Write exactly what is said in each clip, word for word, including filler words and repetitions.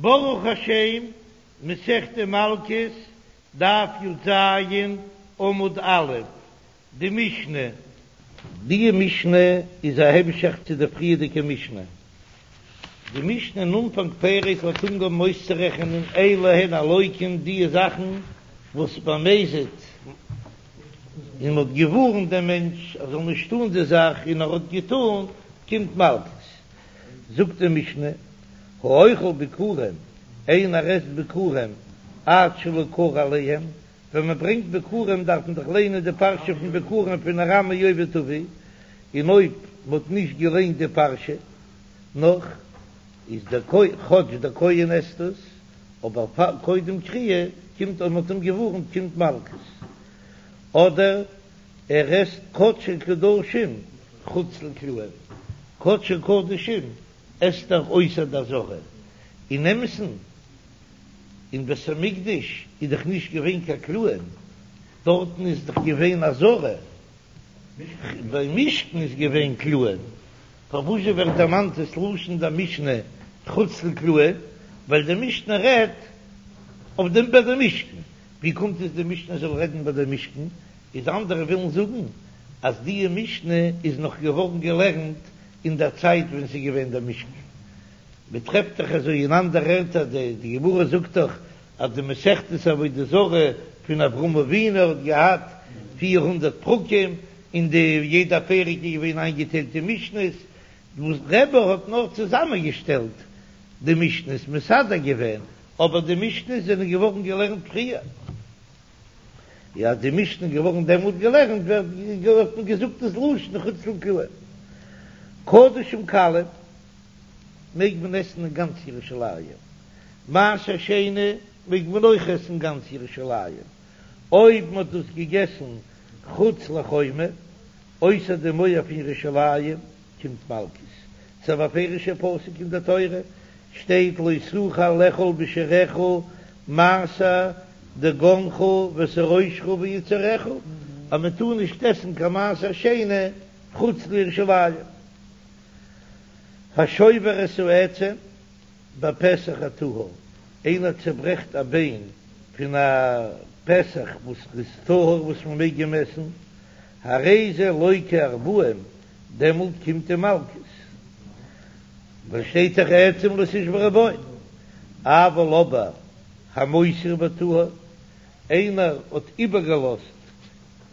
ברוך השם, מסכת מלקות, דף י"ז, עמוד א', די משנה. די משנה איז א המשך צו די פריערדיגע משנה. די משנה אין אנפאנג פרק האט אנגעהויבן אויסצורעכענען אלו הן הלוקין די זאכן וואס במזיד און מ'האט געווארנט דעם מענטש ער זאל נישט טאן די זאך און ער האט געטאן, קומט מלקות. זאגט די משנה, האוכל ביכורים, איינער עסט ביכורים עד שלא קרא עליהם, ווען מען ברענגט ביכורים דארף מען דאך ליינען די פרשה פון ביכורים פון ארמי אובד אבי, און אויב מען האט נישט געליינט די פרשה נאך, איז דער כהן, כאטש דער כהן עסט עס, אבער פאר קודם קריאה קומט אויב מען האט אים געווארנט קומט מלקות, אדער ער עסט קדשי קדשים חוץ לקלעים, קדשי קדשים עסט ער אויסער די עזרה, אין אמת'ן אין בית המקדש איז דאך נישט געווען קיין קלעים, דארטן איז דאך געווען עזרה, ביים משכן איז געווען קלעים, פארוואזשע ווערט דערמאנט דאס לשון די משנה חוץ לקלעים, ווייל די משנה רעדט אויף דעם ביי די משכן, ווי קומט עס די משנה זאל רעדן ביי די משכן, איז אנדערע ווילן זאגן אז די משנה איז נאך געווארן געלערנט אין דער צייט ווען ס'איז געווען דער משכן, מען טרעפט דאך אזוי אין אנדערע ערטער, די גמרא זאגט דאך אז די מסכת עבודה זרה פון אברהם אבינו האט געהאט פיר הונדערט פרקים, און די יעדע פרק איז געווען איינגעטיילט אין משניות, וואס רבי האט נאר צוזאמען געשטעלט די משניות, מסדר געווען, אבער די משניות זענען געווארן געלערנט פריער. יא, אז די משנה איז געווארן דעמאלט געלערנט ווערט האט מען געזאגט דאס לשון חוץ לקלעים. קדשים קלים מעג מען עסן אין גאנץ ירושלים, מעשר שני מעג מען אויך עסן אין גאנץ ירושלים, אויב מען האט דאס געגעסן חוץ לחומה, אויסער די מויער פון ירושלים, קומט מלקות. ס'איז א בפירוש'ער פסוק אין דער תורה, שטייט לא תוכל לאכול בשעריך מעשר דגנך ותירושך ויצהרך, אז מען טאר נישט עסן קיין מעשר שני חוץ לירושלים. השובר את העצם בפסח הטהור, איינער צעברעכט א ביין פון א פסח וואס איז טהור וואס מען מעג אים עסן, הרי זה לוקה ארבעים, דעמאלט קומט אים מלקות, ווייל שטייט דאך עצם לא תשברו בו, אבל אבער המותיר בטהור, איינער האט איבערגעלאזט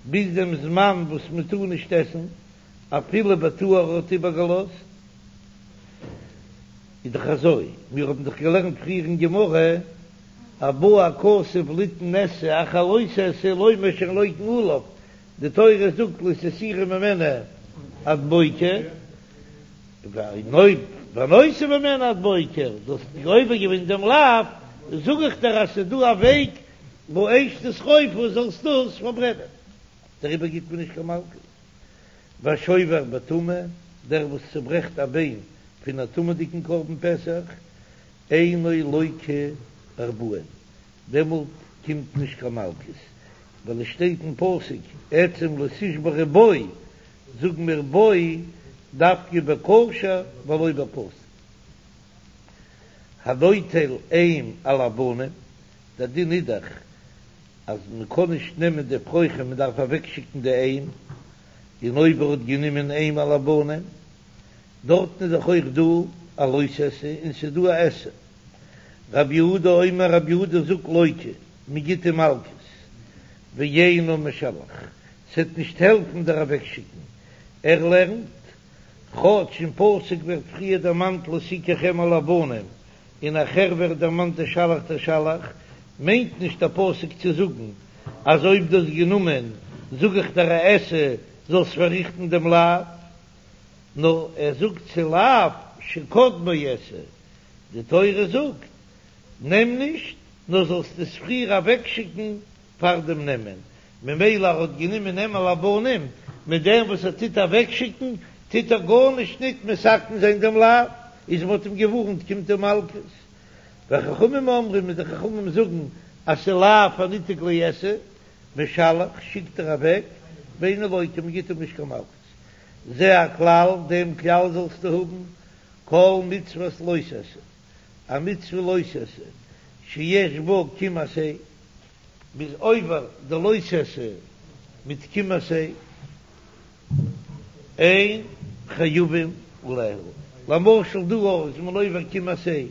ביז דעם זמן וואס מען טאר נישט עסן, אפילו בטהור האט איבערגעלאזט, איז דאך אזוי, מיר האבן דאך געלערנט פריער אין גמרא, אז בא הכתוב ליתן עשה אחר לא תעשה לומר שאין לוקין עליו, די תורה זאגט לא תותירו ממנו עד בוקר, און אויב והנותר ממנו עד בוקר, דו האסט עובר געווען דעם לאו, זאג איך דיר אז ס'איז דא א וועג באש תשרפו זאלסט דאס פארברענען, דעריבער גיט מען נישט קיין מלקות. והשובר בטמא, דער וואס צוברעכט א ביין פון א טמא'דיגן קרבן פסח, אינו לוקה ארבעים, דעמאלט קומט נישט קיין מלקות, ווייל עס שטייט אין פסוק עצם לא תשברו בו, זאגן מיר בו דווקא בכשר ולא בפסול. הנוטל אם על הבנים, דער דין איז דאך אז מען קען נישט נעמען די אפרוחים, מען דארף אוועקשיקן די אם, און אויב ער האט גענומען אם על הבנים, דארטן איז דאך אויך דא א לא תעשה און ס'איז דא א עשה. רב יהודה אומר רב יהודה זאגט לוקה, מען גיט אים מלקות, ואינו משלח, ס'עט נישט העלפן דער אוועקשיקן, ער לערנט, כאטש אין פסוק ווערט פריער דערמאנט לא תקח אם על הבנים, און נאכער ווערט דערמאנט תשלח תשלח, מיינט נישט דער פסוק צו זאגן אז אויב דו האסט גענומען זאג איך דיר א עשה זאלסט פארריכטן דעם לאו, נאר ער זאגט ס'איז לאו שקדמו עשה, די תורה זאגט נעם נישט נאר זאלסט עס פריער אוועקשיקן פאר דעם נעמען, ממילא ער האט גענומען אם על הבנים, מיט דעם וואס ער טוט אוועקשיקן טוט ער גארנישט ניט מתקן זיין דעם לאו, איז מען האט אים געווארנט קומט אים מלקות. וחכמים אומרים און די חכמים זאגן אז ס'איז לאו הניתק לעשה, משלח שיקט ער אוועק, ואינו לוקה מען גיט אים נישט קיין מלקות. זה הכלל, דעם כלל זאלסטו האבן, כל מצוות לא תעשה, א מצוה לא תעשה שיש בה קום עשה, מ'איז עובר די לא תעשה מיט קום עשה, אין חייבין עליה, למשל דא אויך איז מען עובר קום עשה,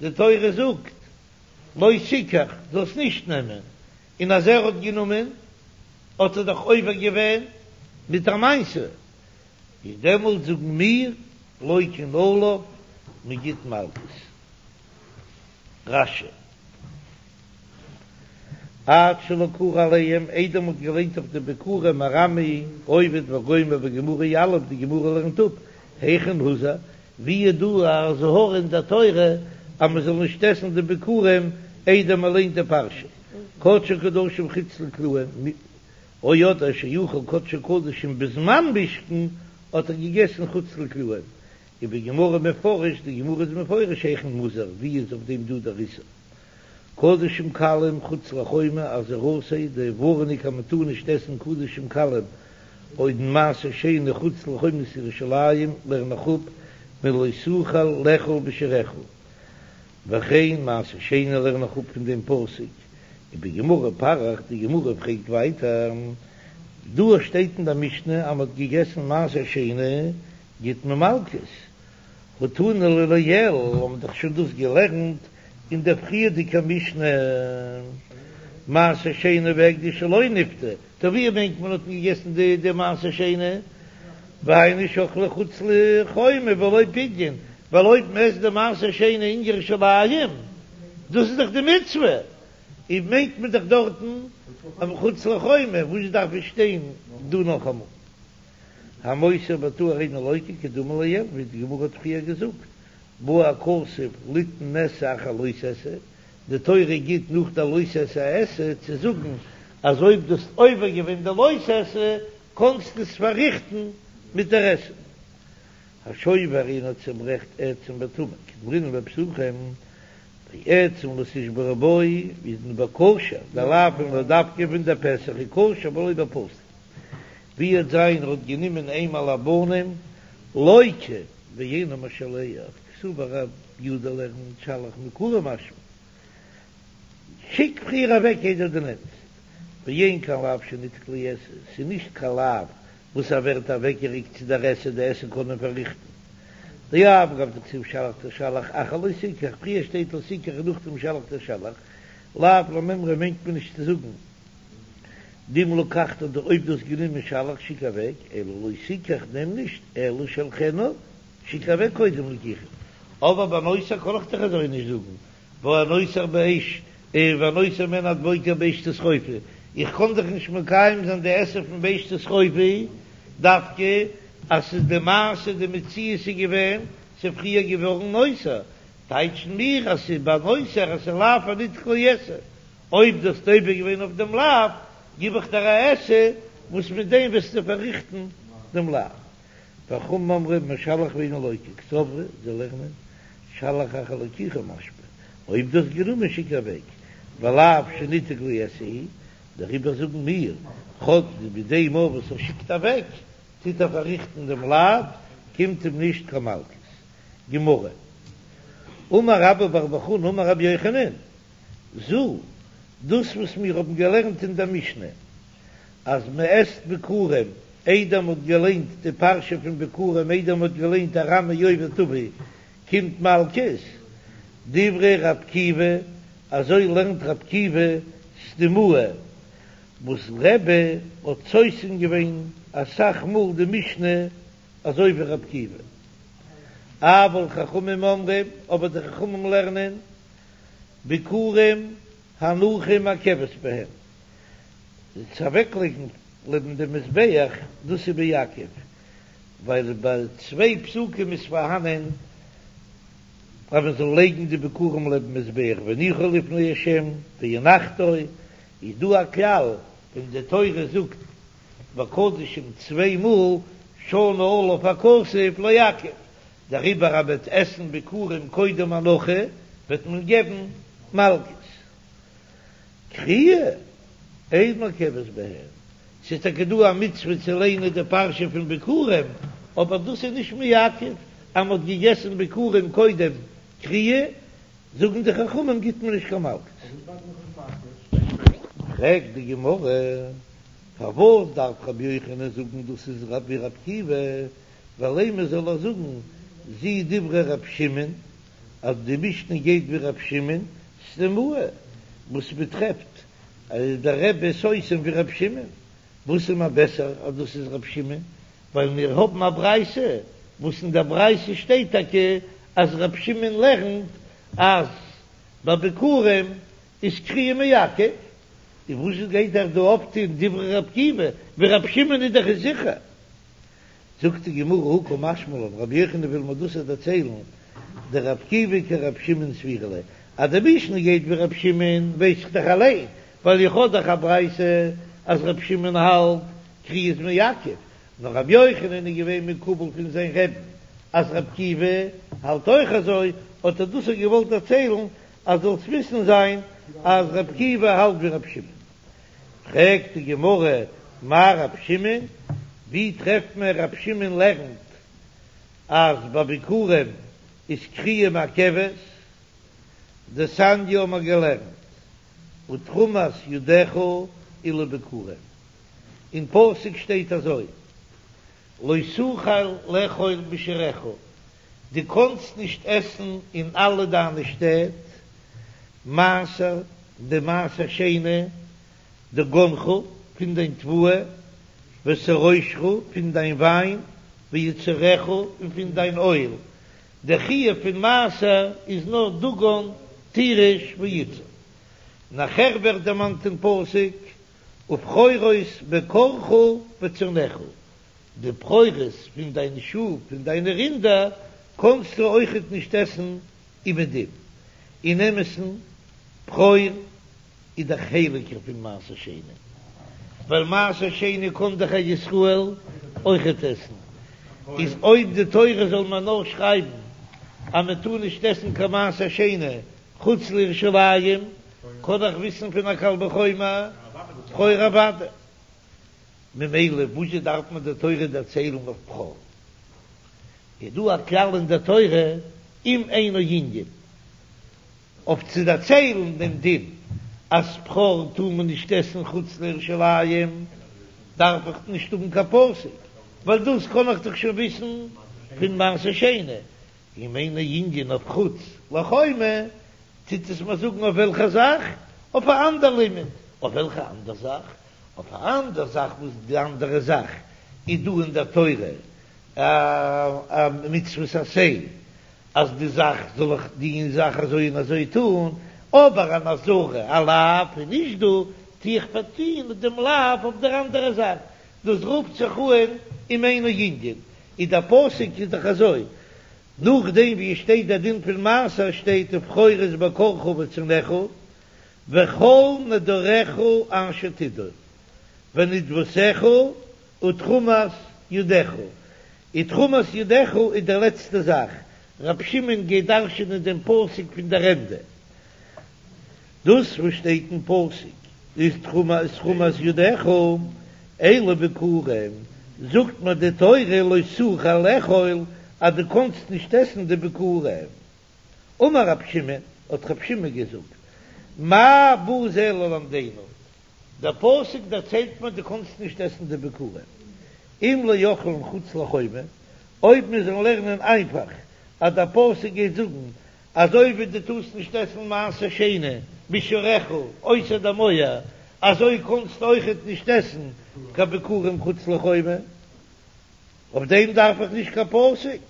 די תורה זאגט לא תיקח, זאלסט נישט נעמען, און אז ער האט גענומען האט ער דאך עובר געווען מיט א מעשה, איז דעמאלט זאגן מיר לוקין עליו, מען גיט מלקות. רש"י. עד שלא קרא עליהם, איידער מ'האט געליינט אויף די ביכורים ארמי אובד וגומר בגמרא יליף, די גמרא לערנט אפ, היכן הוזהר, ווי איז דא א אזהרה אין דער תורה אז מ'זאל נישט עסן די ביכורים איידער מ'ליינט די פרשה, קדשי קדשים חוץ לקלעים, או אדער שאכל קדשי קדשים בזמן משכן האט ער געגעסן חוץ לקלעים, ובגמרא מפרש, די גמרא איז מפרש היכן מוזהר, ווי איז אויף דעם דא דער איסור? קדשים קלים חוץ לחומה אזהרתו, די ווארענונג אז מען טאר נישט עסן קדשים קלים און מעשר שני חוץ לחומת ירושלים לערן איך אפ מלא תוכל לאכול בשעריך, וכן מעשר שני לערן איך אפ פון דעם פסוק, ובגמרא פריך, די גמרא פרעגט ווייטער, דא שטייט אין די משנה אז מען האט געגעסן מעשר שני גיט מען מלקות, הא תנא ליה לעיל, האבן דאך שוין דאס געלערנט אין דער פריערדיגער משנה, מעשר שני והקדש שלא נפדה, טא ווי מיינט מען האט מען געגעסן די די מעשר שני, והיינו שאכלו חוץ לחומה בלא פדיון, ווייל אויב מען עסט די מעשר שני אין ירושלים, דאס איז דאך די מצוה, און מיינט מען דאך דארטן חוץ לחומה, וואס דארף עס שטיין דא נאכאמאל? המותר בטהור אינו לוקה כדאמר לעיל, ווי די גמרא האט פריער געזאגט, בא הכתוב ליתן עשה אחר לא תעשה, די תורה גיט נאך די לא תעשה א עשה צו זאגן אז אויב דו האסט עובר געווען די לא תעשה קאנסטו עס פארריכטן מיט דער עשה. השובר איינער צוברעכט עצם בטומאה כדאמרינן בפסחים, ועצם לא תשברו בו איז בכשר, די לאו פון לאו דווקא פון דער פסח איז כשר ולא בפסול. ווי וועט זיין ער האט גענומען אם על הבנים לוקה ואינו משלח קסבר רב יהודה לערנט שלח מעיקרא משמע שיק פריער אוועק איידער דו נעמסט ואין כאן לאו שניתק לעשה ס'איז נישט קיין לאו וואס ער ווערט אוועקגעריקט צו דער עשה די עשה קען מען פארריכטן דאף על גב דכתיב שלח תשלח אחר לא תקח פריער שטייט לא תקח און נאכדעם שלח תשלח לאו למימרא מיינט מען נישט צו זאגן דאם לקחת דו אויב דו האסט גענומען שלח שיק אוועק, אלא לא תיקח נעם נישט, אלא שלחנה שיק אוועק קודם לקיחה. אבער ביי נותר קען איך דאך אזוי נישט זאגן, והנותר באש והנותר ממנו עד בוקר באש תשרופו, איך קען דאך נישט מקיים זיין די עשה פון באש תשרופו דווקא אז ס'איז די מעשה די מציאות איז געווען ס'איז פריער געווארן נותר, טייטשן מיר אז ס'איז ביי נותר אז ס'איז לאו הניתק לעשה. אויב דו האסט עובר געווען אויף דעם לאו, גיב איך דיר א עשה וואס מיט דעם וועסטו פארריכטן דעם לאו. וחכמים אומרים משלח ואינו לוקה, קסברי, זיי לערנען, שלח אחר לקיחה משמע, אויב דו האסט גענומען שיק אוועק, ולאו שניתק לעשה הוא, דעריבער זאגן מיר, כאטש מיט דעם אויך וואס ער שיקט אוועק, טוט ער פארריכטן דעם לאו, קומט אים נישט קיין מלקות. גמרא, אמר רבה בר בר חנה אמר רבי יוחנן, זו, דאס וואס מיר האבן געלערנט אין דער משנה, אז מען עסט ביכורים איידער מען האט געליינט די פרשה פון ביכורים איידער מען האט געליינט ארמי אובד אבי, קומט מלקות, דברי רב עקיבא, אזוי לערנט רב עקיבא סתימאה, וואס רבי האט סותם געווען אסאך מאל די משנה אזוי ווי רב עקיבא. אבל חכמים אומרים, אבער די חכמים לערנען, ביכורים הנחה מעכבת בהם, צו אוועקלייגן לעבן דעם מזבח, דאס איז מעכב, ווייל ביי צוויי פסוקים איז פארהאנען אז מען זאל לייגן די ביכורים לעבן מזבח והניחו לפני ה' והנחתו, איז דא א כלל ווען די תורה זאגט בקדשים צוויי מאל שנה עליו הכתוב לעכב, דעריבער אז מ'וועט עסן ביכורים קודם הנחה וועט מען געבן מלקות. קריאה אין מעכבת בהן, ס'איז טאקע דא א מצוה צו ליינען די פרשה פון ביכורים, אבער דאס איז נישט מעכב אז מ'האט געגעסן ביכורים קודם קריאה, זאגן די חכמים גיט מען נישט קיין מלקות. פרעגט די גמרא, פארוואס דארף רבי יוחנן זאגן דאס איז ווי רבי עקיבא, ולימא זאל ער זאגן זו דברי רבי שמעון, אז די משנה גייט ווי רבי שמעון סתימאה, וואס מ'טרעפט אז דער רבי איז סותם ווי רבי שמעון, וואס איז מיר בעסער אז דאס איז רבי שמעון, ווייל מיר האבן א ברייתא וואס אין דער ברייתא שטייט טאקע אז רבי שמעון לערנט אז ביי ביכורים איז קריאה מעכב, און וואס גייט ער דא אויפטון דברי רבי עקיבא, ווי רבי שמעון איז דאך זיכער. זאגט די גמרא הא קא משמע לן, רבי יוחנן וויל מיר דאס דערציילן, דרבי עקיבא כרבי שמעון סבירא ליה, אז די משנה גייט ווי רבי שמעון ווייס איך דאך אליין, ווייל איך האב דאך א ברייתא אז רבי שמעון האלט קריאה איז מעכב, נאר רבי יוחנן איז געווען מקובל פון זיין רבי'ן אז רבי עקיבא האלט אויך אזוי, האט ער דאס געוואלט דערציילן אז זאלסט וויסן זיין אז רבי עקיבא האלט ווי רבי שמעון. פרעגט די גמרא, מאי רבי שמעון? ווי טרעפט מען רבי שמעון לערנט אז ביי ביכורים איז קריאה מעכבת? דתניא האבן מיר געלערנט ותרומת ידך אלו ביכורים, אין פסוק שטייט אזוי לא תוכל לאכול בשעריך, דו קאנסט נישט עסן אין אלע דיינע שטעט מעשר, די מעשר שני, דגנך, פון דיין תבואה, ותירושך, פון דיין וויין, ויצהרך, און פון דיין אויל, די חיוב פון מעשר איז נאר דגן, תירוש, ויצהר. נאכער ווערט דערמאנט אין פסוק, ובכורות בקרך וצאנך, די בכורות פון דיין שאף און דיינע רינדער קאנסטו אויכעט נישט עסן אומעדום. אין אמת'ן, בכור איז דאך הייליגער פון מעשר שני, ווייל מעשר שני קען דאך א ישראל אויכעט עסן, איז אויב די תורה זאל מען נאר שרייבן אז מען טאר נישט עסן קיין מעשר שני חוץ לירושלים, קען איך וויסן פון א קל וחומר בכור אוודאי. ממילא וואזשע דארף מען די תורה דערציילן אויף בכור? איז דא א כלל אין די תורה אם אינו ענין אויף צו דערציילן דעם דין אז בכור טאר מען נישט עסן חוץ לירושלים דארף איך נישט האבן קיין פסוק ווייל דאס קען איך דאך שוין וויסן פון מעשר שני, אם אינו ענין אויף חוץ לחומה טוט עס מיר זאגן אויף וועלכע זאך? אויף א אנדער לימוד. אויף וועלכע אנדער זאך? אויף א אנדער זאך וואס די אנדערע זאך איז דא אין דער תורה א מצוות עשה אז די זאך זאל איך די זאך אזוי און אזוי טון, אבער אן אזהרה א לאו איז נישט דא, טו איך פארטון דעם לאו אויף דער אנדערע זאך, דאס רופט זיך אן אם אינו ענין, איז דער פסוק איז דאך אזוי, נאכדעם ווי עס שטייט דער דין פון מעשר שטייט ובכורות בקרך וצאנך וכל נדריך אשר תדור ונדבתך ותרומת ידך, ותרומת ידך איז די לעצטע זאך, רבי שמעון גייט דרש'ענען דעם פסוק פון דער ענדע, דאס וואס שטייט אין פסוק איז תרומת תרומת ידך, אלו ביכורים, זאגט מיר די תורה לא תוכל לאכול אז דו קאנסט נישט עסן די ביכורים. אמר רבי שמעון, האט רבי שמעון געזאגט, מה בא זה ללמדנו, דער פסוק דערציילט מיר דו קאנסט נישט עסן די ביכורים, אם לאוכלן חוץ לחומה, אויב מיר זאלן לערנען איינפאך אז דער פסוק גייט זאגן אזוי ווי דו טארסט נישט עסן מעשר שני בשעריך אויסער די מויער, אזוי קאנסטו אויכעט נישט עסן קיין ביכורים חוץ לחומה. אויף דעם דארף איך נישט קיין פסוק.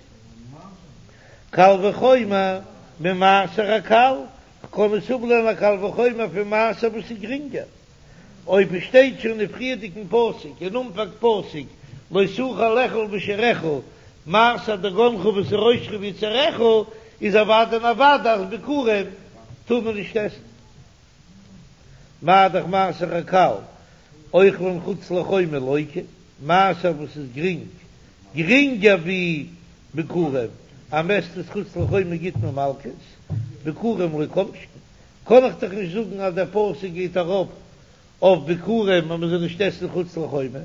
קל וחומר ממעשר הקל, כ'קען עס אפלערנען א קל וחומר פון מעשר וואס איז גרינגער. אויב עס שטייט שוין אין פריערדיגן פסוק אין אנפאנג פסוק לא תוכל לאכול בשעריך מעשר דגנך ותירושך ויצהרך, איז אוודאי און אוודאי אז ביכורים טאר מען נישט עסן. מה דאך מעשר הקל אוכלן חוץ לחומה לוקה, מעשר וואס איז גרינג, גרינגער ווי ביכורים, אז מ'עסט עס חוץ לחומה גיט מען מלקות, ביכורים לא כל שכן, קען איך דאך נישט זאגן אז דער פסוק גייט ארויף אויף ביכורים אז מ'זאל נישט עסן חוץ לחומה,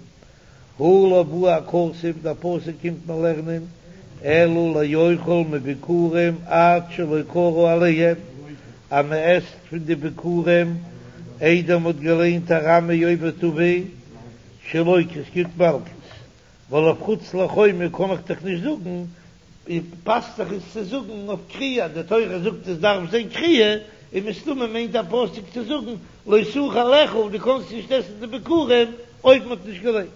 הא לא בא הכתוב, דער פסוק קומט מיר לערנען, אלא לאוכל מביכורים עד שלא קרא עליהם, אז מען עסט פון די ביכורים איידער מען האט געליינט ארמי אובד אבי שלוקה, עס קומט מלקות, ווייל אויף חוץ לחומה קען איך דאך נישט זאגן, פאסט זיך עס צו זאגן אויף קריאה, די תורה זאגט עס דארף זיין קריאה, און מסתמא מיינט דער פסוק צו זאגן לא תוכל לאכול, דו קענסט נישט עסן די ביכורים אויב מען האט נישט געליינט.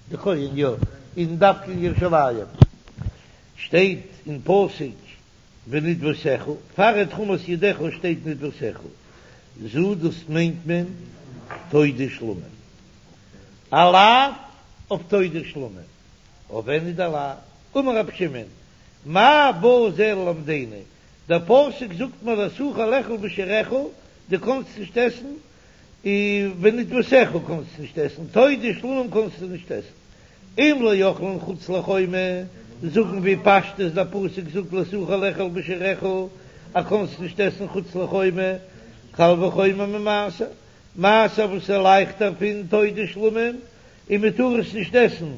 די כהן יא, און דווקא אין ירושלים שטייט אין פסוק ונדבתך, פאר תרומת ידך שטייט נדבתך, זו דאס מיינט מען תודה שלמים, א לאו אויף תודה שלמים, אויף ווען איז דער לאו? אמר רבי שמעון, מה בא זה ללמדנו, דער פסוק זאגט מיר לא תוכל לאכול בשעריך, דו קאנסט נישט עסן און ונדבתך קאנסטו נישט עסן, תודה שלמים קאנסטו נישט עסן, אם לאוכלין חוץ לחומה, זאגן ווי פשטות דער פסוק זאגט לא תוכל לאכול בשעריך, אז קאנסט נישט עסן חוץ לחומה, קל וחומר ממעשר, מעשר וואס איז לייכטער פון תודה שלמים, און מען טאר עס נישט עסן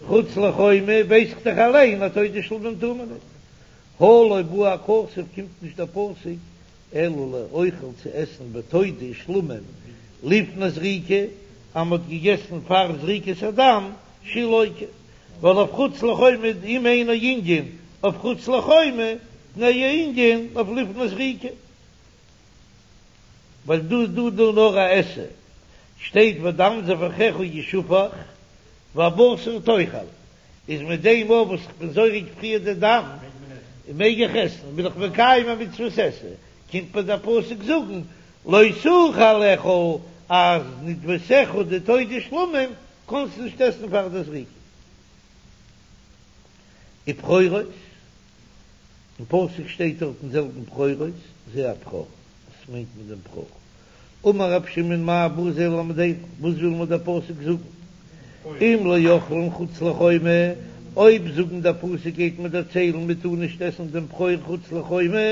חוץ לחומה, ווייס איך דאך אליין אז תודה שלמים טאר מען ניט. הא לא בא הכתוב קומט נישט דער פסוק אלא לאוכל צו עסן בתודה שלמים לפני זריקה, אז מ'האט געגעסן פאר זריקת הדם שלוקה, ווייל אויף חוץ לחומה אם אינו ענין אויף חוץ לחומה תנהו ענין אויף לפני זריקה, ווייל דא איז דא דא נאר א עשה, שטייט ודם זבחיך ישפך והבשר תאכל. איז מיט דעם אויך וואס איך בין זורק פריער די דם מעג איך עסן, בין איך מקיים א מצוות עשה, קומט מיר דער פסוק זאגן לא תוכל לאכול אז נדבתך די תודה שלמים קענסט נישט עסן פאר די זריקה. ובכורות, אין פסוק שטייט דארט אין זעלבן בכורות, זה הבכור, וואס מיינט מען דעם בכור? אמר רב שמעון מאי בא זה ללמדנו, וואס וויל מיר דער פסוק זאגן? אם לאוכלין חוץ לחומה, אויב זאגן דער פסוק גייט מיר דערציילן מען טאר נישט עסן דעם בכור חוץ לחומה,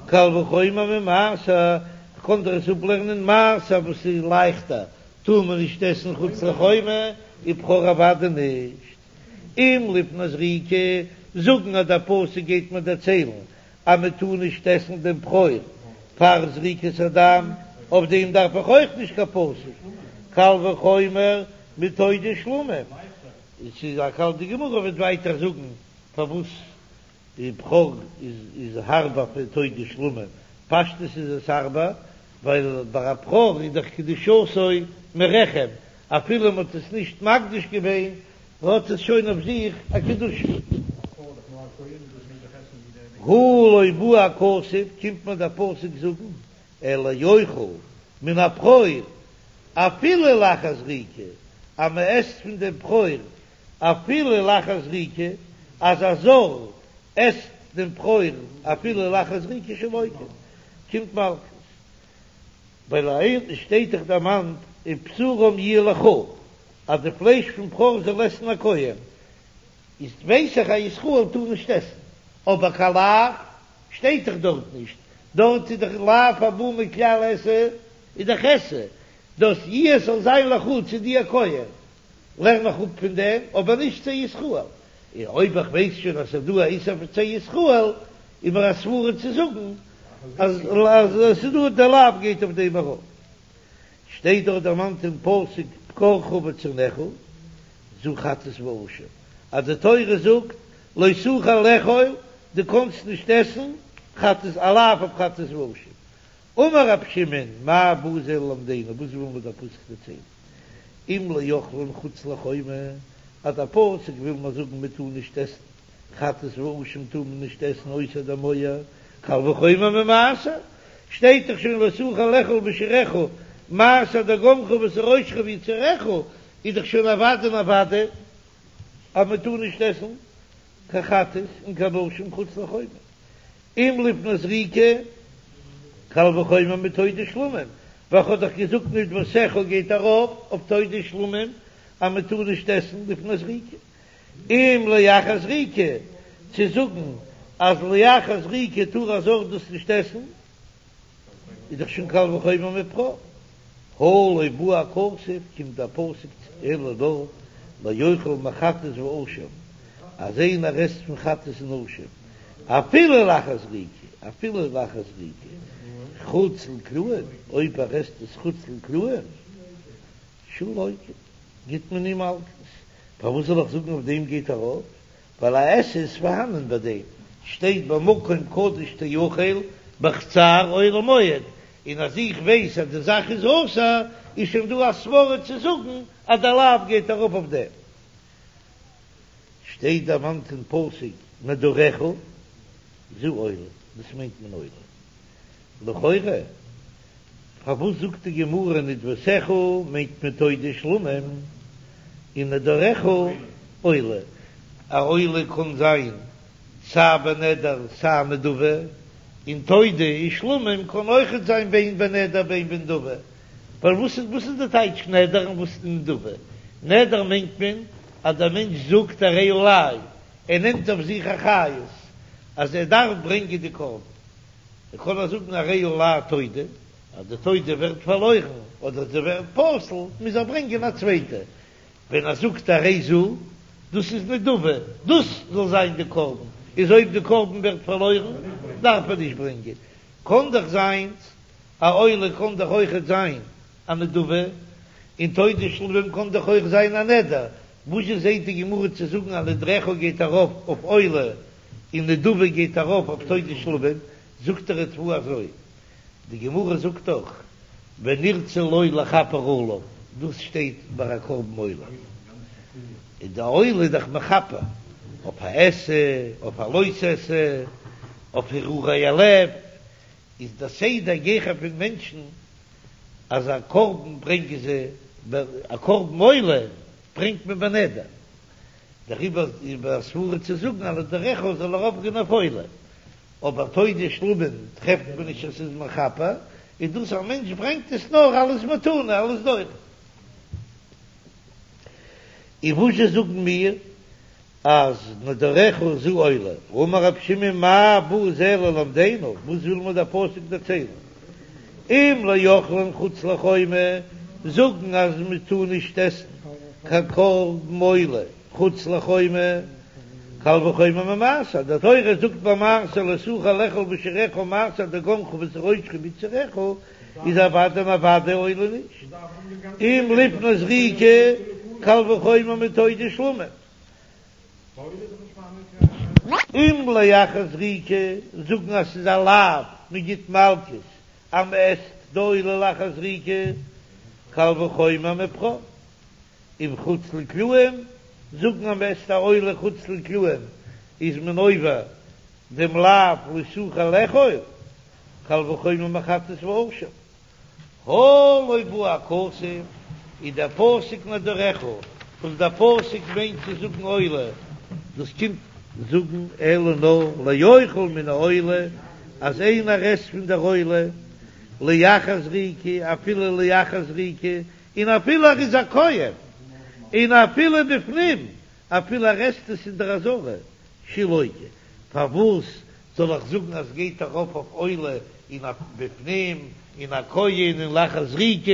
קל וחומר ממעשר, כ'קען דאך עס אפלערנען מעשר וואס איז לייכטער, טאר מען נישט עסן חוץ לחומה, ובכור אוודאי נישט. אם לפני זריקה, זאגן אז דער פסוק גייט מיר דערציילן אז מען טאר נישט עסן דעם בכור פאר זריקת הדם, אויף דעם דארף איך אויך נישט קיין פסוק, קל וחומר מתודה שלמים, עס איז א קל, די גמרא וועט ווייטער זאגן פארוואס די בכור איז הארבער פון תודה שלמים, פשטות איז עס הארבער ווייל ביי א בכור איז דאך קדושתו מרחם, אפילו מען האט עס נישט מקדיש געווען האט עס שוין אויף זיך א קדושה. הא לא בא הכתוב, קומט מיר דער פסוק זאגן, אלא לאוכל מן הבכור אפילו לאחר זריקה, אז מען עסט פון דעם בכור אפילו לאחר זריקה, אז א זר עסט דעם בכור אפילו לאחר זריקה שלוקה, קומט מלקות. ווייל אהין שטייט דאך דערמאנט ובשרם יהיה לך אז די פלייש פון בכור זאל עסן א כהן, איז ווייס איך א ישראל טאר נישט עסן, אבער קיין לאו שטייט דאך דארט נישט, דארט איז דאך לאו הבא מכלל עשה איז דאך עשה, דאס יהיה זאל זיין לך צו דיר כהן, לערן איך אפ פון דעם, אבער נישט צו ישראל, און אויב איך ווייס שוין אז ס'איז דא א איסור פון צו ישראל, איז מיר א סברא צו זאגן אז אז ס'איז דא די לאו גייט אויף דעם ארויף. שטייט דאך דערמאנט אין פסוק בקרך וצאנך זו חטאת ואשם, אז די תורה זאגט לא תוכל לאכול, דו קאנסט נישט עסן חטאת א לאו אויף חטאת ואשם. אמר רב שמעון מאי בא זה ללמדנו, וואס וויל מיר דער פסוק דערציילן? אם לאוכלין חוץ לחומה, אז דער פסוק וויל מיר זאגן מען טאר נישט עסן חטאת ואשם טאר מען נישט עסן אויסער דער מויער, קל וחומר ממעשר, שטייט דאך שוין לא תוכל לאכול בשעריך, מעשר דגנך ותירושך ויצהרך, איז דאך שוין אוודאי און אוודאי אז מען טאר נישט עסן קיין חטאת און קיין אשם חוץ לחומה. אם לפני זריקה, קל וחומר מתודה שלמים, ווייל כ'האב דאך געזאגט נדבתך גייט ארויף אויף תודה שלמים אז מען טאר נישט עסן לפני זריקה. אם לאחר זריקה, צו זאגן אז לאחר זריקה טאר א זר דאס נישט עסן, איז דאך שוין קל וחומר מבכור. הא לא בא הכתוב, קומט דער פסוק אלא נאר לאוכל מחטאת ואשם, אז איינער עסט פון חטאת און אשם, אפילו לאחר זריקה, אפילו לאחר זריקה, חוץ לקלעים, אויב ער עסט עס חוץ לקלעים, שהוא לוקה, גיט מען אים מלקות. פארוואס זאל איך זאגן אויף דעם גייט ארויף? ווייל א עשה איז פארהאנען ביי דעם, שטייט במקום קדוש תאכל בחצר אוהל מועד, און אז איך ווייס אז די זאך איז אסור, איז שוין דא א סברא צו זאגן אז דער לאו גייט ארויף אויף דעם. שטייט דערמאנט אין פסוק נדריך זו עולה, דאס מיינט מען עולה. לכאורה פארוואס זאגט די גמרא נדבתך מיינט מען תודה שלמים און נדריך עולה? א עולה קען זיין סיי בנדר סיי נדבה, און תודה און שלמים קען אויכעט זיין בין בנדר בין בנדבה. ווייל וואס איז וואס איז די טייטש נדר און וואס איז נדבה? נדר מיינט מען אז דער מענטש זאגט הרי עלי, ער נעמט אויף זיך אחריות אז ער דארף ברענגען די קרבן. ער קען אויך זאגן הרי עלי תודה, אז די תודה ווערט פארלוירן אדער זי ווערט פסול מוז ער ברענגען א צווייטע. ווען ער זאגט הרי זו, דאס איז נדבה, דאס זאל זיין די קרבן, איז אויב די קרבן ווערט פארלוירן דארף ער נישט ברענגען. קען דאך זיין א עולה קען דאך אויכעט זיין א נדבה, און תודה שלמים קען דאך אויך זיין א נדר, וואזשע זעהט די גמרא צו זאגן אז נדריך גייט ארויף אויף עולה און נדבה גייט ארויף אויף תודה שלמים, זאגט דער ריטב"א אזוי, די גמרא זאגט דאך ונרצה לו לכפר עליו, דאס שטייט ביי א קרבן עולה, און די עולה איז דאך מכפר אויף א עשה, אויף א לא תעשה, אויף הרהורי הלב, איז דער סדר גיכער פון מענטשן אז א קרבן ברענגען זיי, א קרבן עולה ברענגט מען בנדר, דעריבער איז א סברא צו זאגן אז נדריך זאל ארויפגיין אויף עולה, אבער תודה שלמים טרעפט מען נישט אז ס'איז מכפר, איז דאס א מענטש ברענגט עס נאר אלס מתנה אלס דורון. און וואזשע זאגן מיר אז נדריך זו עולה, אמר רב שמעון מאי בא זה ללמדנו, וואס וויל מיר דער פסוק דערציילן? אם לאוכלין חוץ לחומה, זאגן אז מען טאר נישט עסן קיין קרבן עולה חוץ לחומה, קל וחומר ממעשר, די תורה זאגט ביי מעשר לא תוכל לאכול בשעריך מעשר דגנך ותירושך ביצהרך, איז אוודאי און אוודאי עולה נישט, אם לפני זריקה, קל וחומר מתודה שלמים. אם לאחר זריקה, זאגן אז ס'איז א לאו, מ'גיט מלקות אז מ'עסט די עולה לאחר זריקה, קל וחומר מבכור. אם חוץ לקלעים, זאגן אז מ'עסט א עולה חוץ לקלעים איז מען עובר דעם לאו לא תוכל לאכול, קל וחומר מחטאת ואשם. הא לא בא הכתוב, איז דער פסוק נדריך, וואס דער פסוק מיינט צו זאגן עולה, דאס קומט זאגן אלא נאר לאוכל מן העולה, אז איינער עסט פון דער עולה, לאחר זריקה, אפילו לאחר זריקה, און אפילו ער איז א כהן, און אפילו בפנים, אפילו ער עסט עס אין דער עזרה, שהוא לוקה, פארוואס זאל איך זאגן אז גייט ארויף אויף עולה און אויף בפנים און א כהן און לאחר זריקה,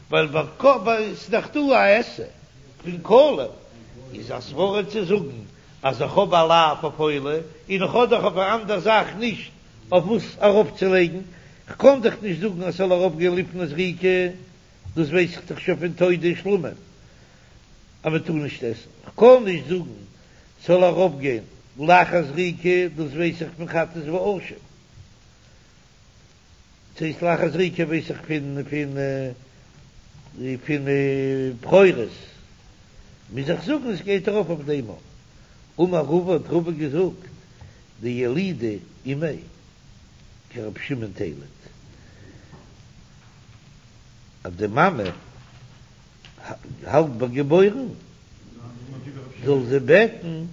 ווייל ביי ס'איז דאך דא א עשה פון קלים, איז א סברא צו זאגן אז איך האב א לאו אויף עולה און איך האב דאך אויף א אנדער זאך נישט אויף וואס ארויפצולייגן, כ'קען דאך נישט זאגן אז ס'זאל ארויפגיין לפני זריקה, דאס ווייס איך דאך שוין פון תודה שלמים אז מ'טאר נישט עסן, כ'קען נישט זאגן ס'זאל ארויפגיין לאחר זריקה, דאס ווייס איך פון חטאת ואשם. ס'הייסט לאחר זריקה ווייס איך פון פון פון בכורות. מוז איך זאגן עס גייט ארויף אויף דעם. אמר רבא האט רבא געזאגט דילדה אימיה כרבי שמעון תיליד אז די מאמע האלט ביי געבוירן זאל זי בעטן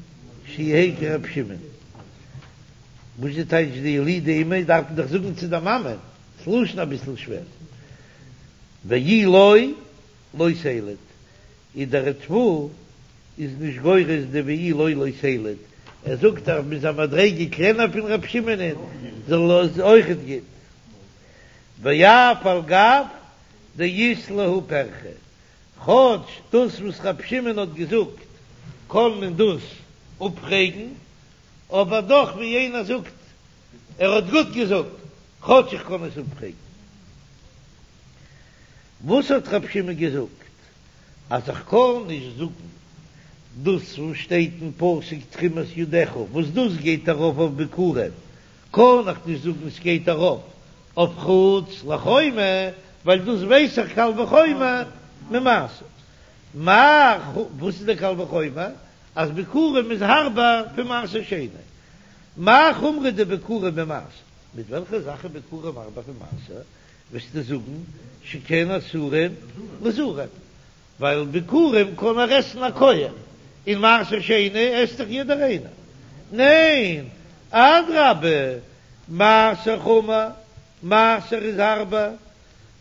שיהא כרבי שמעון. וואס איז טייטש דילדה אימיה דארף מען דאך זאגן צו די מאמע, ס'לשון אביסל שווער. ואי לא לא תיליד, איז דער ריטב"א איז נישט גורס די ואי לא לא תיליד, ער זאגט אז מ'איז א מדריגה קלענער פון רבי שמעונ'ען זאל עס אויכעט גוט. ואף על גב דאית להו פירכא, כאטש דאס וואס רבי שמעון האט געזאגט קען מען דאס אפפרעגן, אבער דאך ווי איינער זאגט ער האט גוט געזאגט, כאטש איך קען עס אפפרעגן. וואס האט רב שמעון געזאגט? אז איך קען נישט זאגן דאס וואס שטייט אין פסוק תרומת ידך, וואס דאס גייט ארויף אויף ביכורים, קען איך נישט זאגן ס'גייט ארויף אויף חוץ לחומה, ווייל דאס ווייס איך קל וחומר ממעשר. מאי, וואס איז דער קל וחומר? אז ביכורים איז הארבער פון מעשר שני. מאי חומרא דביכורים ממעשר? מיט וועלכע זאך איז ביכורים הארבער פון מעשר? וועסטו זאגן שכן אסורים לזרים, ווייל ביכורים קען נאר עסן א כהן, און מעשר שני עסט דאך יעדער איינער. ניין, אדרבה, מעשר חמור, מעשר איז הארבער,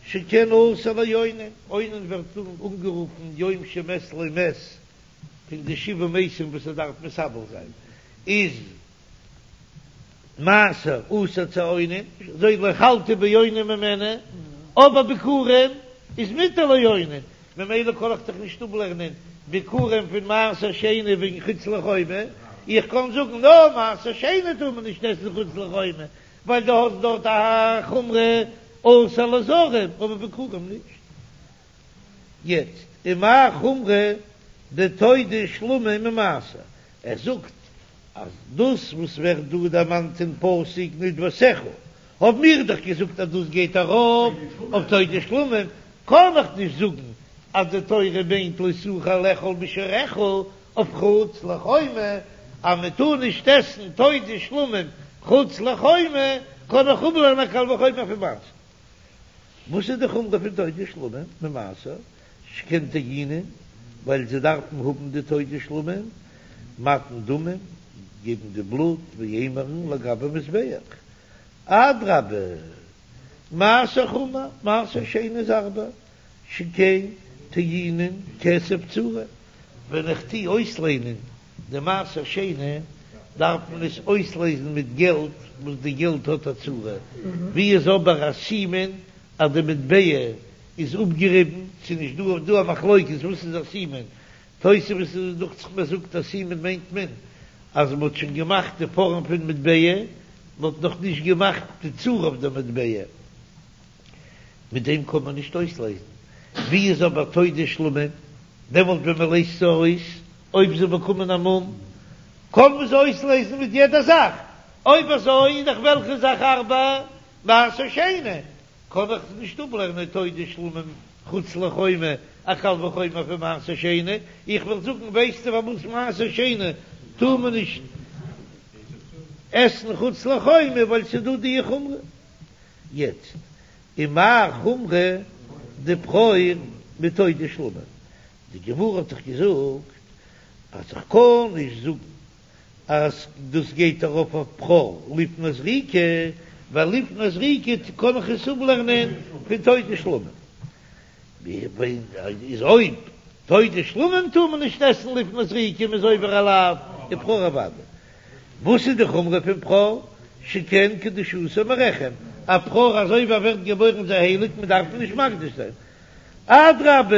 שכן אסור לאונן, אונן ווערט אנגערופן יום שמת לו מת, פון די שבעה מתים וואס ער דארף מתאבל זיין, איז מעשר אסור צו אונן, אזוי לא אכלתי באוני ממנו, אבער ביכורים איז מותר לאונן, ממילא קען איך דאך נישט אפלערנען ביכורים פון מעשר שני וועגן חוץ לחומה, איך קען זאגן נאר מעשר שני טאר מען נישט עסן חוץ לחומה, ווייל דו האסט דארט א חומרא אסור לזרים, אבער ביכורים נישט. יעצט, ומאי חומרא דתודה שלמים ממעשר, ער זאגט אז דאס וואס ווערט דא דערמאנט אין פסוק נדבתך, האבן מיר דאך געזאגט אז דאס גייט ארויף אויף תודה שלמים, קען איך נישט זאגן אז די תורה מיינט לא תוכל לאכול משארך אויף חוץ לחומה, אז מען טאר נישט עסן תודה שלמים חוץ לחומה, קען איך אפלערנען א קל וחומר פון מעשר. וואס איז די חומרא פון תודה שלמים ממעשר שכן טעונין, ווייל זיי דארפן האבן די תודה שלמים, מתן דמים, געבן די בלוט ואימורין לגבי מזבח, אדרבה מעשר חמור, מעשר שני איז הארבער, שכן טעונין כסף צורה, ווען איך טוה אויסליינען די מעשר שני דארף מען עס אויסלייזן מיט געלט וואס די געלט האט א צורה, ווי איז אבער א סימן אז די מטבע איז אפגעריבן, ס'איז נישט דא דא א מחלוקת וואס איז א סימן, תוספות איז דוכט זיך מיר זאגט א סימן מיינט מען אז מען האט שוין געמאכט די פארעם פון מטבע, מען האט נאך נישט געמאכט די צורה אויף די מטבע. מיט דעם קען מען נישט אויסלייזן. ווי איז אבער תודה שלמים? דעמאלט ווען מען לייזט זיי אויס, אויב זיי באקומען א מום, קען מען זיי אויסלייזן מיט יעדע זאך. אויב אזוי איז דאך וועלכע זאך הארבער? מעשר שני. קען איך נישט אפלערנען תודה שלמים חוץ לחומה, א קל וחומר פון מעשר שני. איך וועל זאגן, ווייסטו פארוואס מעשר שני טאר מען נישט עסן חוץ לחומה? ווייל ס'איז דא די חומרא. יעצט, ומאי חומרא דבכור מתודה שלמים? די גמרא האט דאך געזאגט אז איך קען נישט זאגן אז דאס גייט ארויף אויף בכור לפני זריקה, ווייל לפני זריקה קען איך עס אפלערנען פון תודה שלמים. איז אויב תודה שלמים טאר מען נישט עסן לפני זריקה, מ'איז עובר א לאו, איז בכור אוודאי. וואס איז די חומרא פון בכור? שכן קדושתו מרחם, א בכור אזוי ווי ער ווערט געבוירן איז ער הייליג, מען דארף אים נישט מקדיש זיין. אדרבה,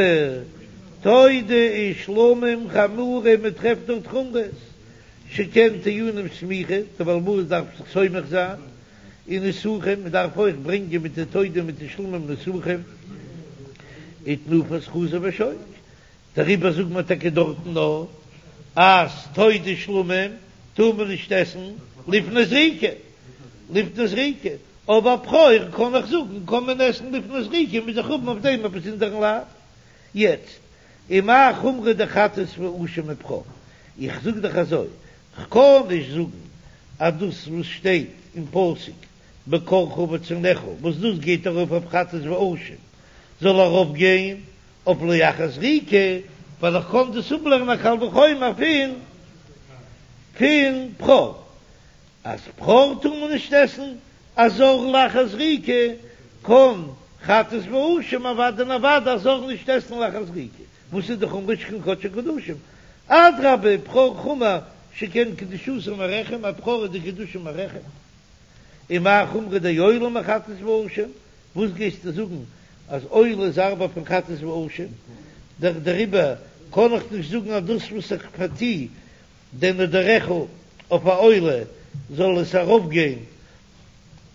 תודה ושלמים חמורה, מען טרעפט דארט חומרות, שכן טעונים סמיכה, די בעל הבית דארף זיך סומך זיין, און נסכים, מען דארף אויך ברענגען מיט די תודה מיט די שלמים נסכים, ותנופת חזה ושוק. דעריבער זאגט מען טאקע דארטן נאר אז תודה שלמים טאר מען נישט עסן לפני זריקה, לפני זריקה, אבער בכור קען איך זאגן קען מען עסן לפני זריקה מוז איך האבן אויף דעם א באזונדערן לאו. יעצט, ומאי חומרא דחטאת ואשם מבכור, איך זאג דאך אזוי, כ'קען נישט זאגן אז דאס וואס שטייט אין פסוק בכורך וצאנך וואס דאס גייט ארויף אויף חטאת ואשם זאל ארויף גיין אויף לאחר זריקה, ווייל איך קען דאס אפלערנען א קל וחומר פון פון בכור, אז בכור טאר מען נישט עסן א זר לאחר זריקה, קען חטאת ואשם אוודאי און אוודאי א זר נישט עסן לאחר זריקה, וואס איז די חומרא שכן קדשי קדשים, אדרבה בכור חמור שכן קדושתו מרחם, א בכור איז די קדושה מרחם, ומאי חומרא דעולה מחטאת ואשם, וואס גייסטו זאגן אז עולה איז הארבער פון חטאת ואשם? דעריבער קען איך נישט זאגן אז דאס וואס איך פארטו דעם נדריך אויף א עולה זאל עס ארויפגיין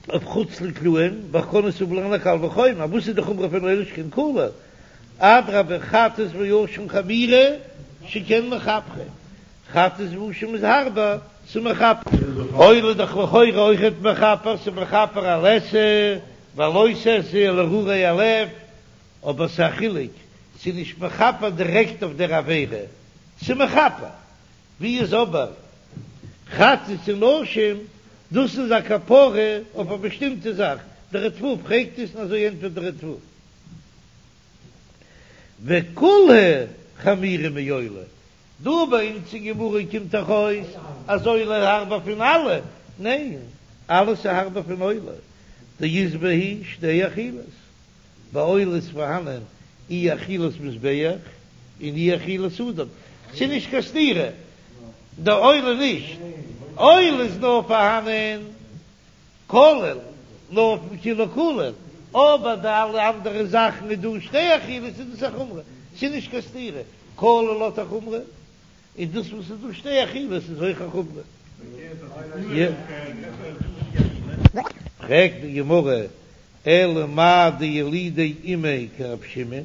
אויף חוץ לקלעים, ווייל כ'קען עס אפלערנען א קל וחומר, וואס איז די חומרא פון עולה שכן כליל? אדרבה חטאת ואשם חמירא שכן מכפרין, חטאת ואשם איז הארבער, ס'איז מכפר. עולה איז דאך לכאורה אויכעט מכפר, ס'איז מכפר על עשה ועל לא תעשה על הרהורי הלב, אבער ס'איז א חילוק, ס'איז נישט מכפר דירעקט אויף דער עבירה, ס'איז מכפר. ווי איז אבער חטאת און אשם, דאס איז א כפרה אויף א באשטימטע זאך, דער ריטב"א פרעגט עס און אזוי ענטפערט דער ריטב"א. וכולהו חמירא מעולה, דא ביי אונז אין גמרא קומט דאך אויס אז עולה איז הארבער פון אלע, ניין, אלעס איז הארבער פון עולה, דאית בהו שתי אכילות, ביי עולה איז פארהאנען אי אכילת מזבח און אי אכילת אדם, ס'איז נישט קיין סתירה, די עולה נישט, עולה איז נאר פארהאנען כליל, נאר אויפן כולו כליל, אבער די אלע אנדערע זאכן איז דא שתי אכילות איז דאס א חומרא, ס'איז נישט קיין סתירה, כליל האט א חומרא, און דאס וואס איז דא שתי אכילות איז אויך א חומרא. פרעגט די גמרא, אלא מאי דילידי אימיה כרב שמעון,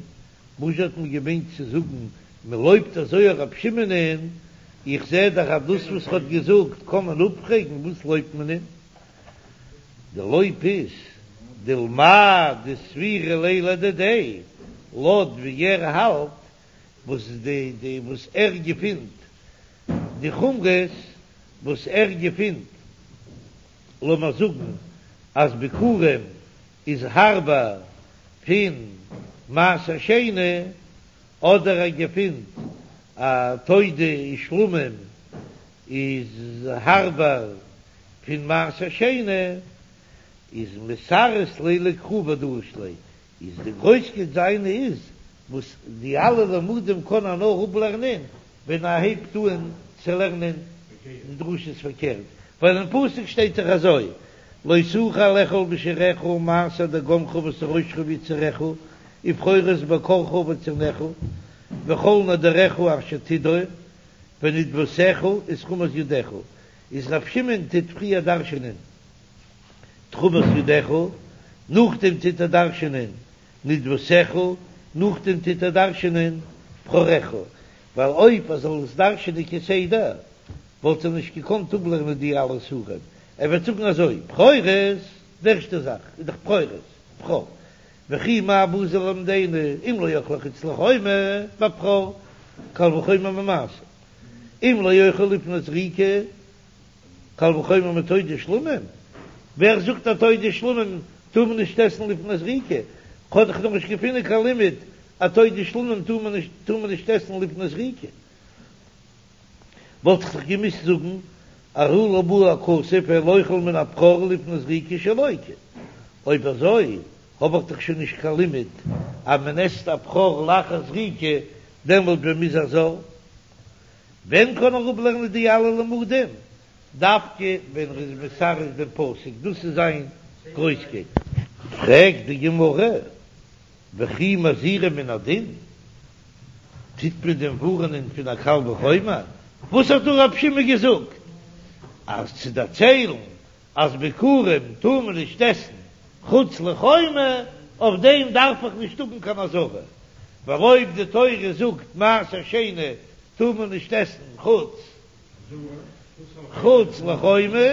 וואס האט מען געמיינט צו זאגן מען לויבט אזוי רב שמעונ'ען, איך זע דאך אז דאס וואס ער האט געזאגט קען מען אפפרעגן, וואס לויבט מען אים? די לויב איז דלמאי דסבירא ליה לדידיה, לויט ווי ער האלט וואס די די וואס ער געפינט די חומרות וואס ער געפינט, לאמער זאגן אז ביכורים איז הארבער פון מעשר שני, אדער ער געפינט אז תודה ושלמים איז הארבער פון מעשר שני, איז מתרץ ליה לקרא ודריש ליה, איז די גרויסקייט זיינע איז וואס די אלע לימודים קען ער נאר אפלערנען ווען ער הייבט אן צו לערנען די דרשות פארקערט, ווייל אין פסוק שטייט דאך אזוי לא תוכל לאכול בשעריך מעשר דגנך ותירושך ויצהרך ובכורות בקרך וצאנך וכל נדריך אשר תדור ונדבתך ותרומת ידך, איז ר' שמעון טוט פריער דרש'ענען תרומת ידך, נאכדעם טוט ער דרש'ענען נדבתך, נאכדעם טוט ער דרש'ענען בכורך, ווייל אויב ער זאל עס דרש'ענען כסדר וואלט ער נישט געקאנט אפלערנען די אלע איסורים, ער וועט זאגן אזוי, בכורות, די ערשטע זאך איז דאך בכורות, בכור, וכי מה באת ללמדנו אם לא אכלו חוץ לחומה בבכור, קל וחומר ממעשר, אם לא אכלו לפני זריקה, קל וחומר מתודה ושלמים, ווער זאגט אז תודה ושלמים טאר מען נישט עסן לפני זריקה? כ'האב דאך נאך נישט געפונען קיין לימוד אז תודה ושלמים טאר מען נישט טאר מען נישט עסן לפני זריקה. וואלט איך דאך געמוזט זאגן אז עלה בא הכתוב אין אוכל מן הבכור לפני זריקה שלוקה. אויב אזוי האב איך דאך שוין נישט קיין לימוד אז מען עסט א בכור לאחר זריקה דעמאלט ווען מ'איז א זר. ווען קען ער אפלערנען די אלע לימודים? דווקא ווען ער איז מתרץ דעם פסוק, דאס איז זיין גרויסקייט. פרעגט די גמרא, וכי מזהירין מן הדין? טוט מען דען ווארענען פון א קל וחומר? וואס האט דא רב שמעון געזאגט? אז צו דערציילן אז ביכורים טאר מען נישט עסן חוץ לחומה, אויף דעם דארף איך נישט האבן קיין אזהרה, ווייל אויב די תורה זאגט מעשר שני טאר מען נישט עסן חוץ חוץ לחומה,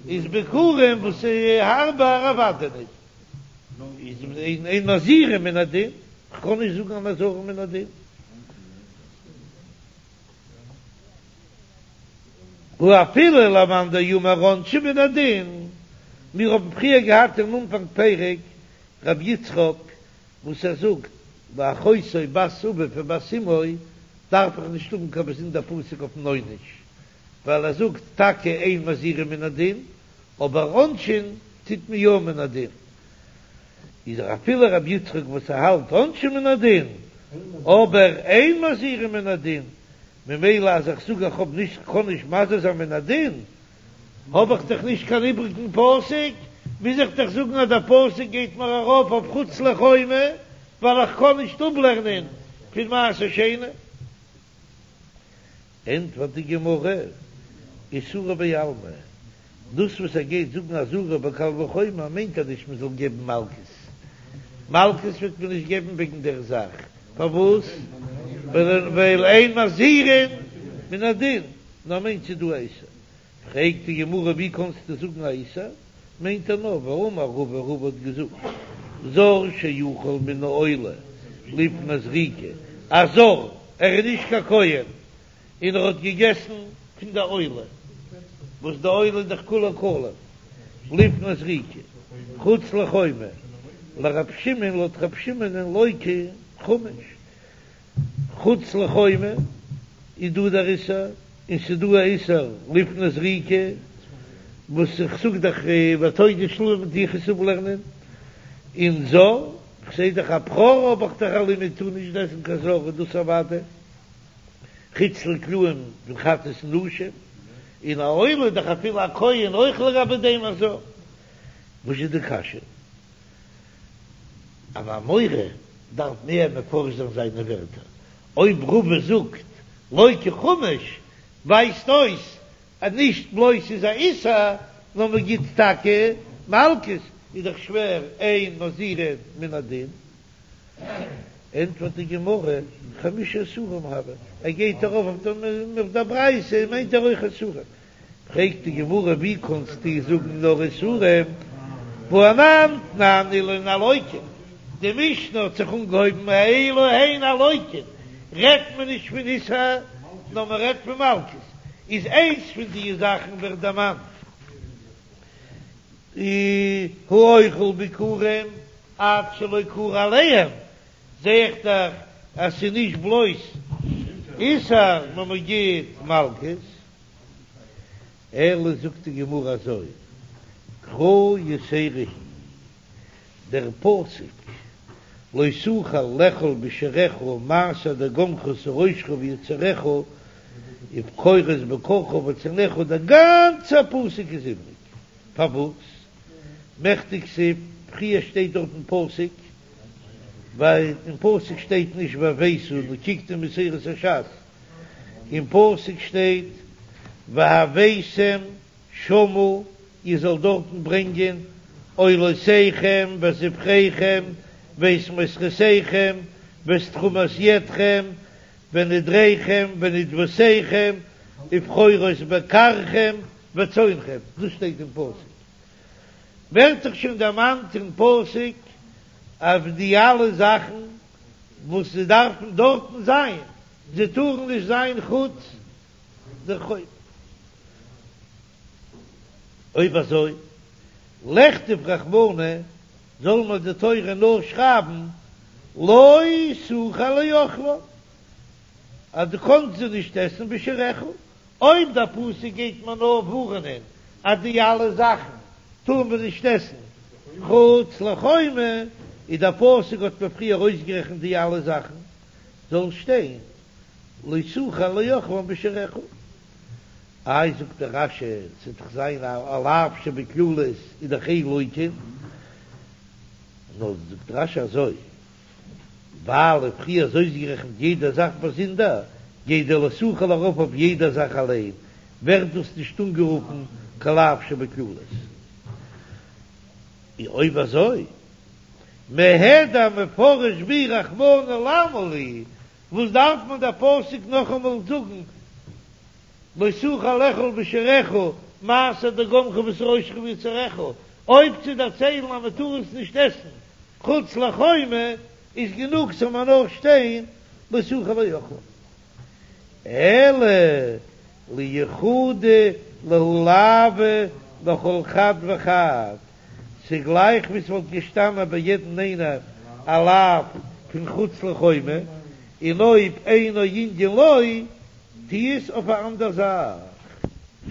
איז ביכורים וואס איז הארבער אוודאי נישט, איז אין מזהירין מן הדין, כ'קען נישט זאגן אן אזהרה מן הדין. ואפילו למאן דאמר עונשין מן הדין, מיר האבן פריער געהאט אין אנפאנג פרק רבי יצחק וואס ער זאגט ואחותו בת אביו ובת אמו דארף איך נישט האבן קיין באזונדער פסוק אויפן עונש, ווייל ער זאגט טאקע אין מזהירין מן הדין, אבער עונשין טוט מען יא מן הדין, איז אפילו רבי יצחק וואס ער האלט עונשין מן הדין, אבער אין מזהירין מן הדין, ממילא אז איך זאג איך האב נישט קען נישט מזהיר זיין מן הדין, האב איך דאך נישט קיין איבריגן פסוק, מוז איך דאך זאגן אז דער פסוק גייט מיר ארויף אויף חוץ לחומה, ווייל איך קען נישט אפלערנען פון מעשר שני. ענטפערט די גמרא, איסורא בעלמא, דאס וואס ער גייט זאגן אזהרה בקל וחומר מיינט ער נישט מען זאל געבן מלקות, מלקות וועט מען נישט געבן וועגן דער זאך, פארוואס? ווייל אין מזהירין מן הדין, נאר מיינט ס'איז דא א איסור. פרעגט די גמרא ווי קאנסטו זאגן א איסור, מיינט ער נאר והאמר רבא, רבא האט געזאגט זר שאכל מן העולה לפני זריקה, א זר, ער איז נישט קיין כהן, און ער האט געגעסן פון די עולה, וואס די עולה איז דאך כולה קלים, לפני זריקה, חוץ לחומה, לרב שמעון לויט רב שמעונ'ען לוקה חמש, חוץ לחומה איז דא דער איסור, און ס'איז דא א איסור לפני זריקה, וואס איך זאג דאך ותודה שלמים טו איך עס אפלערנען, און זר, כ'זע דאך א בכור האב איך דאך א לימוד טאר נישט עסן קיין זר איז דאס אוודאי. חוץ לקלעים פון חטאת און אשם, און א עולה איז דאך אפילו א כהן אויך לגבי דעם א זר. וואס איז די קשיא? אן אמורא דארף מער מפרש זיין זיינע ווערטער. אויב רבא זאגט לוקה חמש ווייזט אויס אז נישט בלויז ס'איז א איסור נאר מ'גיט טאקע מלקות, איז דאך שווער אין מזהירין מן הדין. ענטפערט די גמרא, חמשה איסורים הוו, ער גייט ארויף אויף דער ברייתא מיינט ער אויך איסורים, פרעגט די גמרא ווי קאנסטו זאגן נאר איסורים, והא אנן תנן אלו הן הלוקין, די משנה האט זיך אנגעהויבן אלו הן הלוקין, רעדט מען נישט פון איסור נאר מען רעדט פון מלקות, איז איינס פון די זאכן ווערט דערמאנט האוכל ביכורים עד שלא כרע עליהם, זע איך דאך אז ס'איז נישט בלויז איסור נאר מ'גיט מלקות, אלא זאגט די גמרא אזוי, קרא יתירא היא, דער פסוק לא תוכל לאכול בשעריך מעשר דגנך ותירושך ויצהרך ובכורות בקרך וצאנך, דער גאנצער פסוק איז איבריג, פארוואס? מכדי כתיב, פריער שטייט דארט אין פסוק, ווייל אין פסוק שטייט נישט והבאת, נו קוקט אין מסורת הש"ס, אין פסוק שטייט והבאתם שמה, איר זאלט דארטן ברענגען עולותיכם וזבחיכם ואת מוסרותיכם ואת תרומת ידכם ונדריכם ונדבותיכם ובכורות בקרכם וצאנכם, דאס שטייט אין פסוק, ווערט דאך שוין דערמאנט אין פסוק אויף די אלע זאכן וואס זיי דארפן דארטן זיין, זיי טארן נישט זיין חוץ דער חומה. אויב אזוי, לכתוב רחמנא, זאל מיר די תורה נאר שרייבן לא תוכל לאכלם, אז דו קאנסט זיי נישט עסן בשעריך, אויב דער פסוק גייט מיר נאר ווארענען אז די אלע זאכן טאר מען נישט עסן חוץ לחומה, און דער פסוק האט מיר פריער אויסגערעכנט די אלע זאכן, זאל שטיין לא תוכל לאכלם בשעריך. איי זאגט דער רש"י, ס'וועט דאך זיין א לאו שבכללות איז דאך אין לוקין, נאר זאגט רש"י אזוי. ווייל פריער איז אויסגערעכנט יעדע זאך באזונדער, גייט דער לא תוכל ארויף אויף יעדע זאך אליין, ווערט דאס נישט אנגערופן קיין לאו שבכללות. און אויב אזוי, מהדר מפרש בהו רחמנא למה לי, וואס דארף מען דער פסוק נאכאמאל זאגן לא תוכל לאכול בשעריך מעשר דגנך ותירושך ויצהרך, אויב צו דערציילן אז מען טאר עס נישט עסן חוץ לחומה איז גענוג ס'זאל מיר נאר שטיין לא תוכל לאכלם. אלא לייחודי להו לאוי לכל חד וחד, ס'גלייך ווי ס'וואלט געשטאנען ביי יעדן איינער א לאו פון חוץ לחומה, און אויב אינו ענין לו טו עס אויף א אנדער זאך.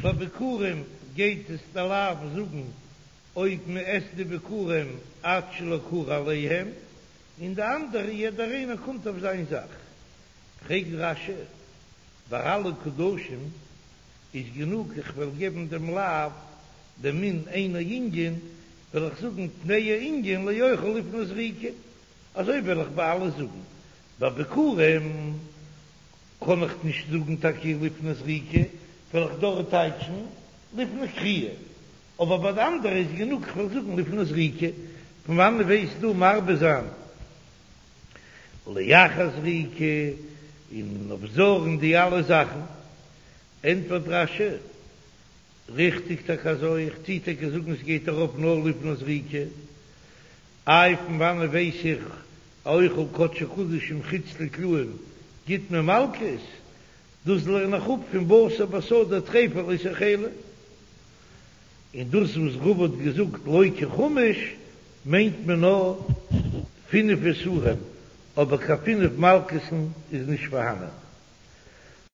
ביי ביכורים גייט עס די לאו זאגן אויב מען עסט די ביכורים עד שלא כרע עליהם, און די אנדערע יעדער איינער קומט אויף זיין זאך. פרעגט רש"י, ביי אלע קדשים איז גענוג איך וועל געבן דעם לאו דעם מין אינו ענין, וועל איך זאגן תנהו ענין לאוכל לפני זריקה, אזוי וועל איך ביי אלע זאגן, ביי ביכורים קען איך נישט זאגן טאקע לפני זריקה, וועל איך דארט טייטשן לפני כרייה, אבער ביי די אנדערע איז גענוג כ'וועל זאגן לפני זריקה, פון וואנען וועסטו מרבה זיין לאחר זריקה און אויף זר און די אלע זאכן? ענטפערט רש"י, ריכטיג טאקע אזוי, איך טוה טאקע זאגן עס גייט ארויף נאר לפני זריקה, איי פון וואנען ווייס איך האוכל קדשי קדשים חוץ לקלעים גיט מען מלקות? דאס לערן איך אפ פון בשר בשדה טריפה לא תאכלו. און דאס וואס רבא האט געזאגט לא כחמש מיינט מען נאר פינף איסורים, אבער קיין פינף מלקות'ן איז נישט פארהאנען.